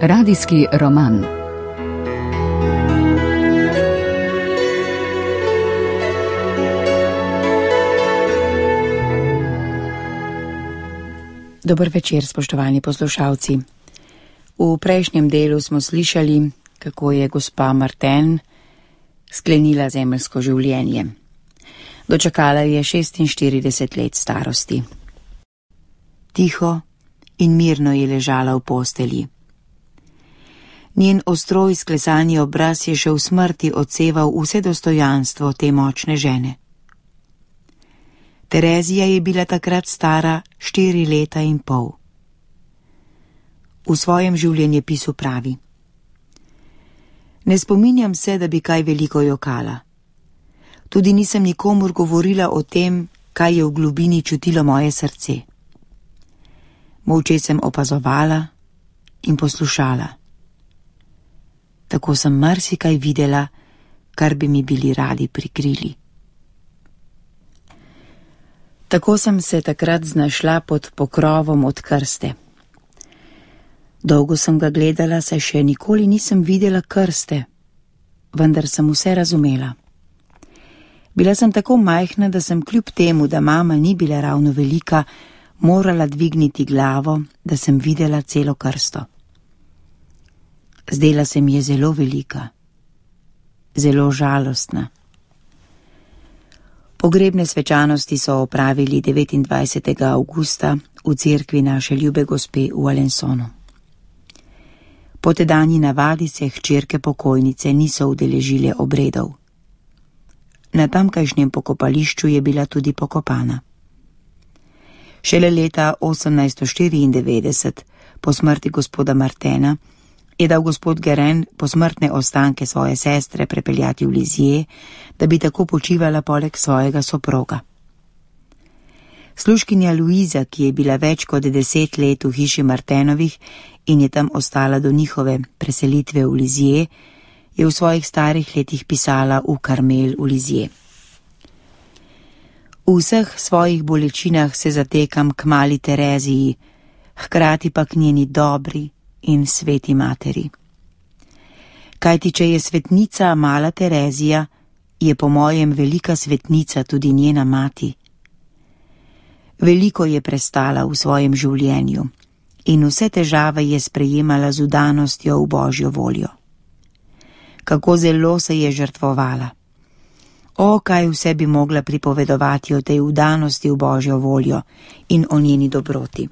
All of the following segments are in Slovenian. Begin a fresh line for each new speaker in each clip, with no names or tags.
Radijski roman.
Dober večer, spoštovani poslušalci. V prejšnjem delu smo slišali, kako je gospa Martin sklenila zemeljsko življenje. Dočakala je 46 let starosti. Tiho in mirno je ležala v postelji. Njen ostro izklesani obraz je še v smrti odseval vse dostojanstvo te močne žene. Terezija je bila takrat stara 4 leta in pol. V svojem življenjepisu pravi: Ne spominjam se, da bi kaj veliko jokala. Tudi nisem nikomur govorila o tem, kaj je v globini čutilo moje srce. Molče sem opazovala in poslušala. Tako sem marsikaj videla, kar bi mi bili radi prikrili. Tako sem se takrat znašla pod pokrovom od krste. Dolgo sem ga gledala, saj še nikoli nisem videla krste, vendar sem vse razumela. Bila sem tako majhna, da sem kljub temu, da mama ni bila ravno velika, morala dvigniti glavo, da sem videla celo krsto. Zdela se mi je zelo velika, zelo žalostna. Pogrebne svečanosti so opravili 29. avgusta v cerkvi naše ljube gospe v Alensonu. Po tedanji navadi se hčerke pokojnice niso udeležile obredov. Na tamkajšnjem pokopališču je bila tudi pokopana. Šele leta 1894, po smrti gospoda Martena, je dal gospod Guérin posmrtne ostanke svoje sestre prepeljati v Lisieux, da bi tako počivala poleg svojega soproga. Služkinja Luiza, ki je bila več kot 10 let v hiši Martenovih in je tam ostala do njihove preselitve v Lisieux, je v svojih starih letih pisala v Karmel v Lisieux. V vseh svojih bolečinah se zatekam k mali Tereziji, hkrati pa k njeni dobri in sveti materi. Kajti, če je svetnica mala Terezija, je po mojem velika svetnica tudi njena mati. Veliko je prestala v svojem življenju in vse težave je sprejemala z vdanostjo v Božjo voljo. Kako zelo se je žrtvovala. O, kaj vse bi mogla pripovedovati o tej vdanosti v Božjo voljo in o njeni dobroti.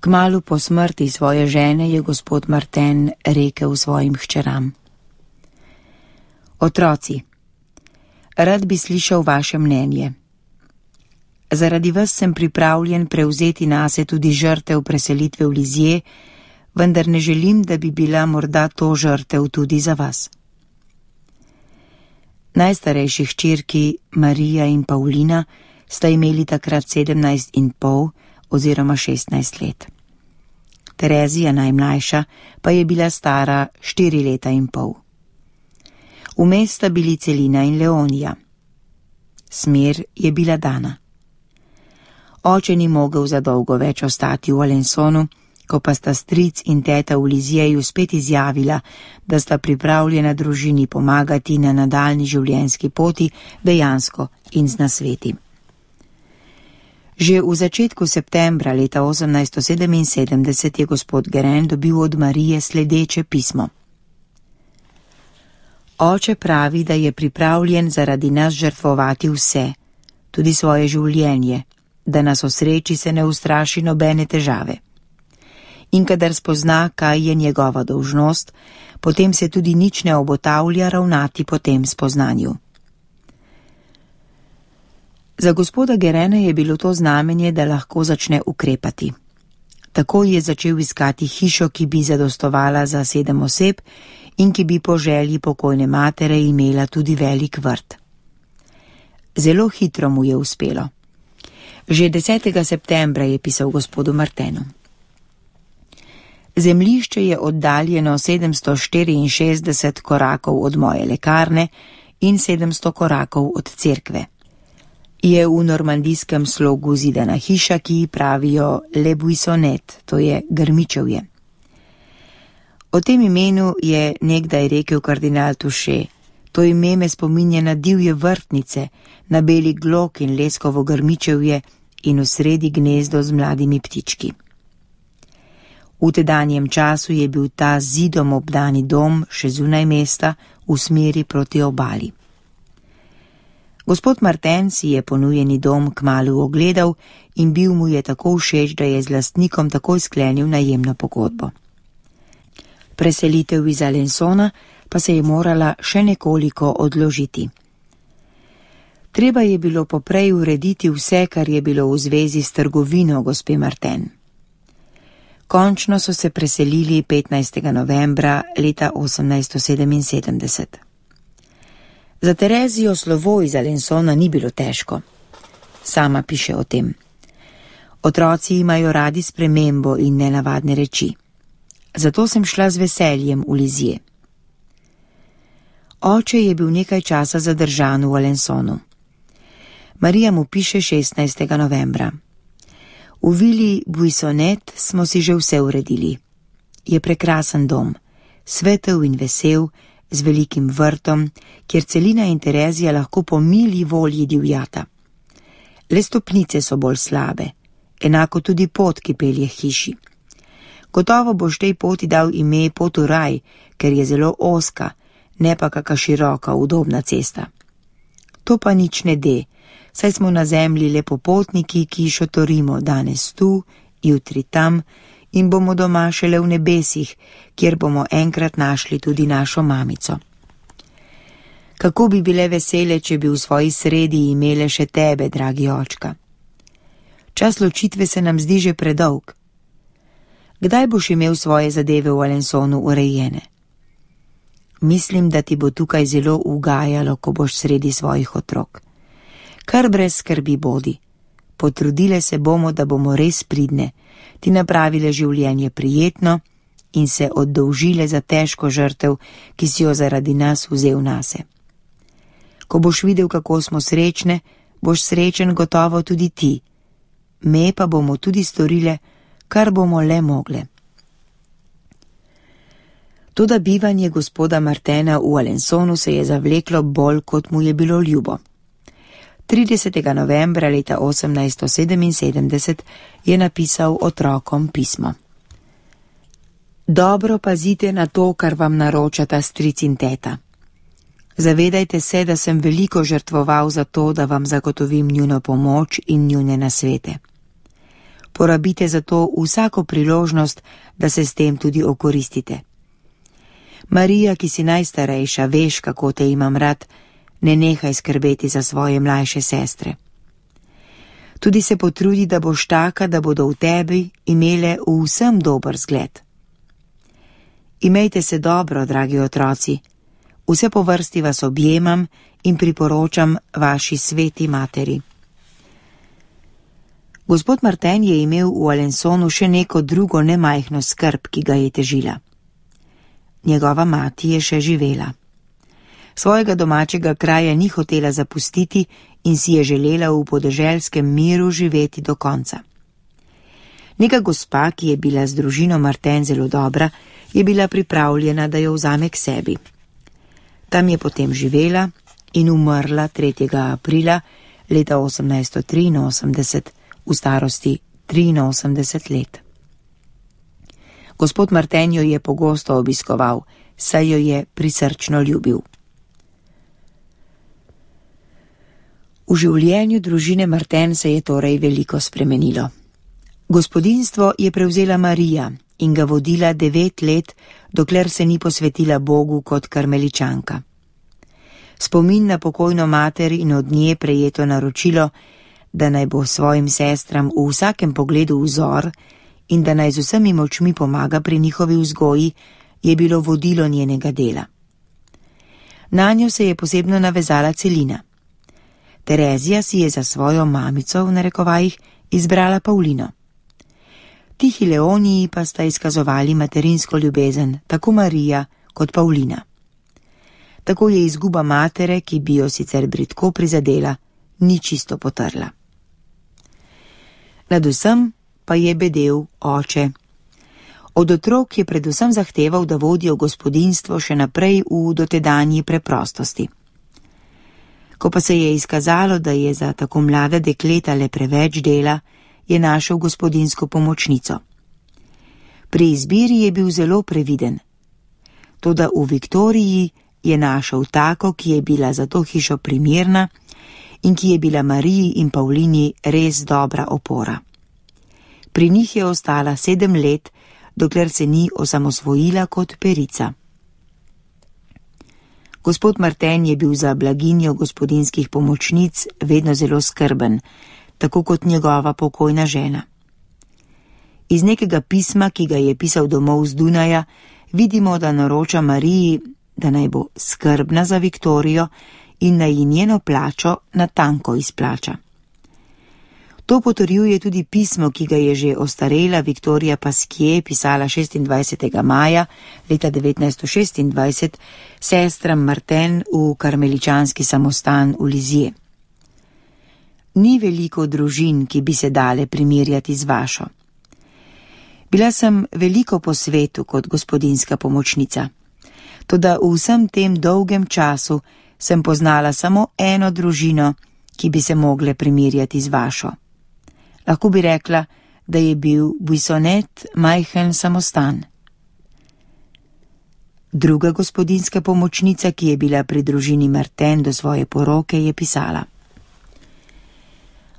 Kmalu po smrti svoje žene je gospod Martin rekel svojim hčeram: Otroci, rad bi slišal vaše mnenje. Zaradi vas sem pripravljen prevzeti nase tudi žrtev preselitve v Lisieux, vendar ne želim, da bi bila morda to žrtev tudi za vas. Najstarejši hčerki Marija in Paulina sta imeli takrat 17,5 oziroma 16 let. Terezija, najmlajša, pa je bila stara 4 leta in pol. Vmes sta bili Celina in Leonija. Smer je bila dana. Oče ni mogel za dolgo več ostati v Alensonu, ko pa sta stric in teta v Lisieju spet izjavila, da sta pripravljena družini pomagati na nadaljni življenjski poti dejansko in z nasveti. Že v začetku septembra leta 1877 je gospod Guérin dobil od Marije sledeče pismo. Oče pravi, da je pripravljen zaradi nas žrtvovati vse, tudi svoje življenje, da nas o sreči se ne ustraši nobene težave. In kadar spozna, kaj je njegova dolžnost, potem se tudi nič ne obotavlja ravnati po tem spoznanju. Za gospoda Guérina je bilo to znamenje, da lahko začne ukrepati. Tako je začel iskati hišo, ki bi zadostovala za 7 oseb in ki bi po želji pokojne matere imela tudi velik vrt. Zelo hitro mu je uspelo. Že 10. septembra je pisal gospodu Martenu: Zemljišče je oddaljeno 764 korakov od moje lekarne in 700 korakov od cerkve. je v normandijskem slogu zidana hiša, ki ji pravijo Le Buissonnet, to je Grmičevje. O tem imenu je nekdaj rekel kardinal Touchet: to ime me spominja na divje vrtnice, na beli glog in leskovo grmičevje in v sredi gnezdo z mladimi ptički. V tedanjem času je bil ta zidom obdani dom še zunaj mesta v smeri proti obali. Gospod Martin si je ponujeni dom kmalu ogledal in bil mu je tako všeč, da je z lastnikom takoj sklenil najemno pogodbo. Preselitev iz Alençona pa se je morala še nekoliko odložiti. Treba je bilo poprej urediti vse, kar je bilo v zvezi s trgovino gospe Martin. Končno so se preselili 15. novembra leta 1877. Za Terezijo slovo iz Alençona ni bilo težko. Sama piše o tem: otroci imajo radi spremembo in nenavadne reči. Zato sem šla z veseljem v Lizije. Oče je bil nekaj časa zadržan v Alençonu. Marija mu piše 16. novembra. V vili Buissonnet smo si že vse uredili. Je prekrasen dom, svetel in vesel, z velikim vrtom, kjer Celina in Terezija lahko po mili volji divjata. Le stopnice so bolj slabe, enako tudi pot, ki pelje hiši. Gotovo boš tej poti dal ime pot v raj, ker je zelo ozka, ne pa kaka široka, udobna cesta. To pa nič ne de, saj smo na zemlji le popotniki, ki šotorimo danes tu, jutri tam in bomo doma šele v nebesih, kjer bomo enkrat našli tudi našo mamico. Kako bi bile vesele, če bi v svoji sredi imele še tebe, dragi očka. Čas ločitve se nam zdi že predolg. Kdaj boš imel svoje zadeve v Alençonu urejene? Mislim, da ti bo tukaj zelo ugajalo, ko boš sredi svojih otrok. Kar brez skrbi bodi. Potrudile se bomo, da bomo res pridne, ti napravile življenje prijetno in se oddolžile za težko žrtev, ki si jo zaradi nas vzel nase. Ko boš videl, kako smo srečne, boš srečen gotovo tudi ti. Me pa bomo tudi storile, kar bomo le mogle. Toda bivanje gospoda Martena v Alençonu se je zavleklo bolj, kot mu je bilo ljubo. 30. novembra leta 1877 je napisal otrokom pismo. Dobro pazite na to, kar vam naročata stric in teta. Zavedajte se, da sem veliko žrtvoval za to, da vam zagotovim njuno pomoč in njune nasvete. Porabite za to vsako priložnost, da se s tem tudi okoristite. Marija, ki si najstarejša, veš, kako te imam rad, ne nehaj skrbeti za svoje mlajše sestre. Tudi se potrudi, da boš taka, da bodo v tebi imele v vsem dober zgled. Imejte se dobro, dragi otroci. Vse po vrsti vas objemam in priporočam vaši sveti materi. Gospod Martin je imel v Alençonu še neko drugo nemajhno skrb, ki ga je težila. Njegova mati je še živela. Svojega domačega kraja ni hotela zapustiti in si je želela v podeželskem miru živeti do konca. Neka gospa, ki je bila z družino Martin zelo dobra, je bila pripravljena, da jo vzame k sebi. Tam je potem živela in umrla 3. aprila leta 1883 v starosti 83 let. Gospod Martin jo je pogosto obiskoval, saj jo je prisrčno ljubil. V življenju družine Martin se je torej veliko spremenilo. Gospodinjstvo je prevzela Marija in ga vodila 9 let, dokler se ni posvetila Bogu kot karmeličanka. Spomin na pokojno mater in od nje prejeto naročilo, da naj bo svojim sestram v vsakem pogledu vzor in da naj z vsemi močmi pomaga pri njihovi vzgoji, je bilo vodilo njenega dela. Nanjo se je posebno navezala Celina. Terezija si je za svojo mamico, v narekovajih, izbrala Paulino. Tihi Leoniji pa sta izkazovali materinsko ljubezen, tako Marija kot Paulina. Tako je izguba matere, ki bi jo sicer bridko prizadela, ni čisto potrla. Nad vsem pa je bedel oče. Od otrok je predvsem zahteval, da vodijo gospodinjstvo še naprej v dotedanji preprostosti. Ko pa se je izkazalo, da je za tako mlada dekleta le preveč dela, je našel gospodinjsko pomočnico. Pri izbiri je bil zelo previden. Toda v Viktoriji je našel tako, ki je bila za to hišo primerna in ki je bila Mariji in Pavlini res dobra opora. Pri njih je ostala 7 let, dokler se ni osamosvojila kot perica. Gospod Marten je bil za blaginjo gospodinjskih pomočnic vedno zelo skrben, tako kot njegova pokojna žena. Iz nekega pisma, ki ga je pisal domov z Dunaja, vidimo, da naroča Mariji, da naj bo skrbna za Viktorijo in naj ji njeno plačo natanko izplača. To potrjuje tudi pismo, ki ga je že ostarela Viktorija Pasquier pisala 26. maja leta 1926 sestram Marten v karmeličanski samostan v Lizije. Ni veliko družin, ki bi se dale primerjati z vašo. Bila sem veliko po svetu kot gospodinjska pomočnica, toda v vsem tem dolgem času sem poznala samo eno družino, ki bi se mogle primerjati z vašo. Lahko bi rekla, da je bil Buissonet majhen samostan. Druga gospodinjska pomočnica, ki je bila pri družini Marten do svoje poroke, je pisala: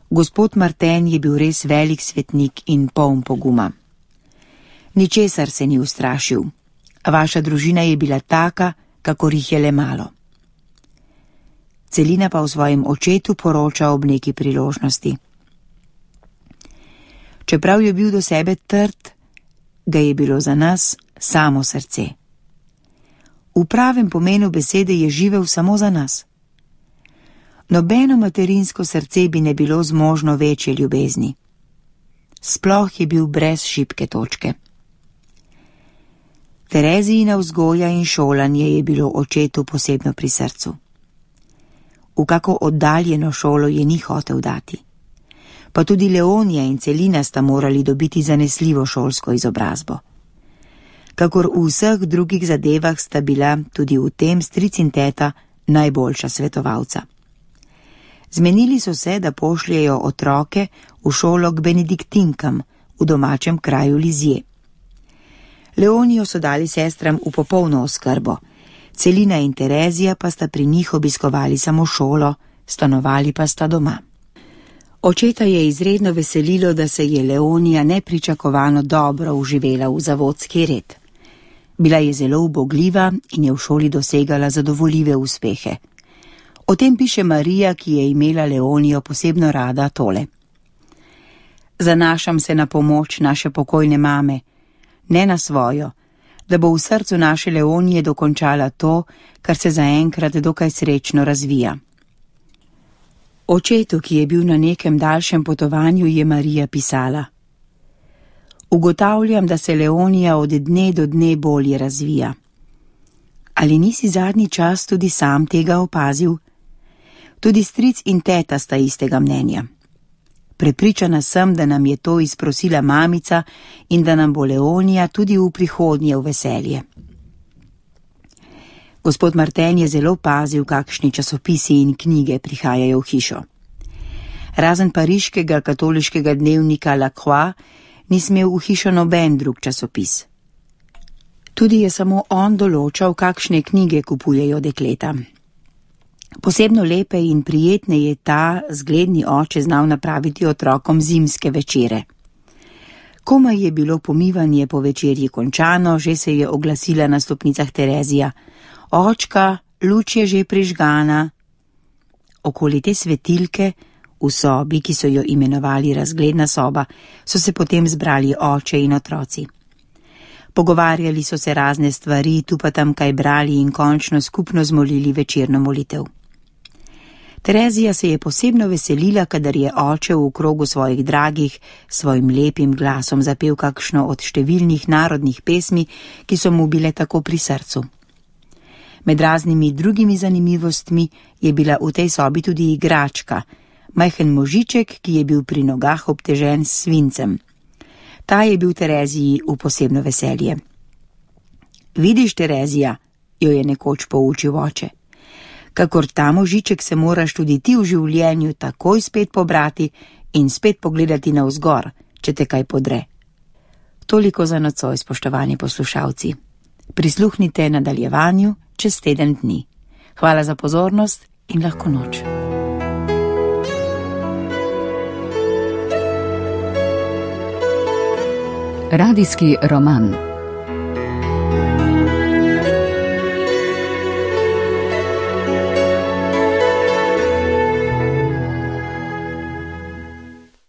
Gospod Marten je bil res velik svetnik in poln poguma. Ničesar se ni ustrašil. Vaša družina je bila taka, kakor jih je le malo. Celina pa v svojem očetu poroča ob neki priložnosti. Čeprav je bil do sebe trd, ga je bilo za nas samo srce. V pravem pomenu besede je živel samo za nas. Nobeno materinsko srce bi ne bilo zmožno večje ljubezni. Sploh je bil brez šibke točke. Terezijina vzgoja in šolanje je bilo očetu posebno pri srcu. V kako oddaljeno šolo je ni hotel dati. Pa tudi Leonija in Celina sta morali dobiti zanesljivo šolsko izobrazbo. Kakor v vseh drugih zadevah sta bila tudi v tem stric in teta najboljša svetovalca. Zmenili so se, da pošljejo otroke v šolo k benediktinkam v domačem kraju Lizije. Leonijo so dali sestram v popolno oskrbo, Celina in Terezija pa sta pri njih obiskovali samo šolo, stanovali pa sta doma. Očeta je izredno veselilo, da se je Leonija nepričakovano dobro uživela v zavodski red. Bila je zelo ubogljiva in je v šoli dosegala zadovoljive uspehe. O tem piše Marija, ki je imela Leonijo posebno rada, tole: Zanašam se na pomoč naše pokojne mame, ne na svojo, da bo v srcu naše Leonije dokončala to, kar se zaenkrat dokaj srečno razvija. Očetu, ki je bil na nekem daljšem potovanju, je Marija pisala: Ugotavljam, da se Leonija od dne do dne bolje razvija. Ali nisi zadnji čas tudi sam tega opazil? Tudi stric in teta sta istega mnenja. Prepričana sem, da nam je to izprosila mamica in da nam bo Leonija tudi v prihodnje v veselje. Gospod Marten je zelo pazil, kakšni časopisi in knjige prihajajo v hišo. Razen pariškega katoliškega dnevnika La Croix ni smel v hišo noben drug časopis. Tudi je samo on določal, kakšne knjige kupujejo dekleta. Posebno lepe in prijetne je ta zgledni oče znal napraviti otrokom zimske večere. Komaj je bilo pomivanje po večerji končano, že se je oglasila na stopnicah Terezija: Očka, luč je že prižgana. Okoli te svetilke, v sobi, ki so jo imenovali razgledna soba, so se potem zbrali oče in otroci. Pogovarjali so se razne stvari, tu pa tam kaj brali in končno skupno zmolili večerno molitev. Terezija se je posebno veselila, kadar je oče v krogu svojih dragih svojim lepim glasom zapel kakšno od številnih narodnih pesmi, ki so mu bile tako pri srcu. Med raznimi drugimi zanimivostmi je bila v tej sobi tudi igračka, majhen možiček, ki je bil pri nogah obtežen s svincem. Ta je bil Tereziji v posebno veselje. Vidiš, Terezija, jo je nekoč poučil oče. Kakor ta možiček se moraš tudi ti v življenju takoj spet pobrati in spet pogledati navzgor, če te kaj podre. Toliko za nocoj, spoštovani poslušalci. Prisluhnite nadaljevanju čez teden dni. Hvala za pozornost in lahko noč.
Radijski roman.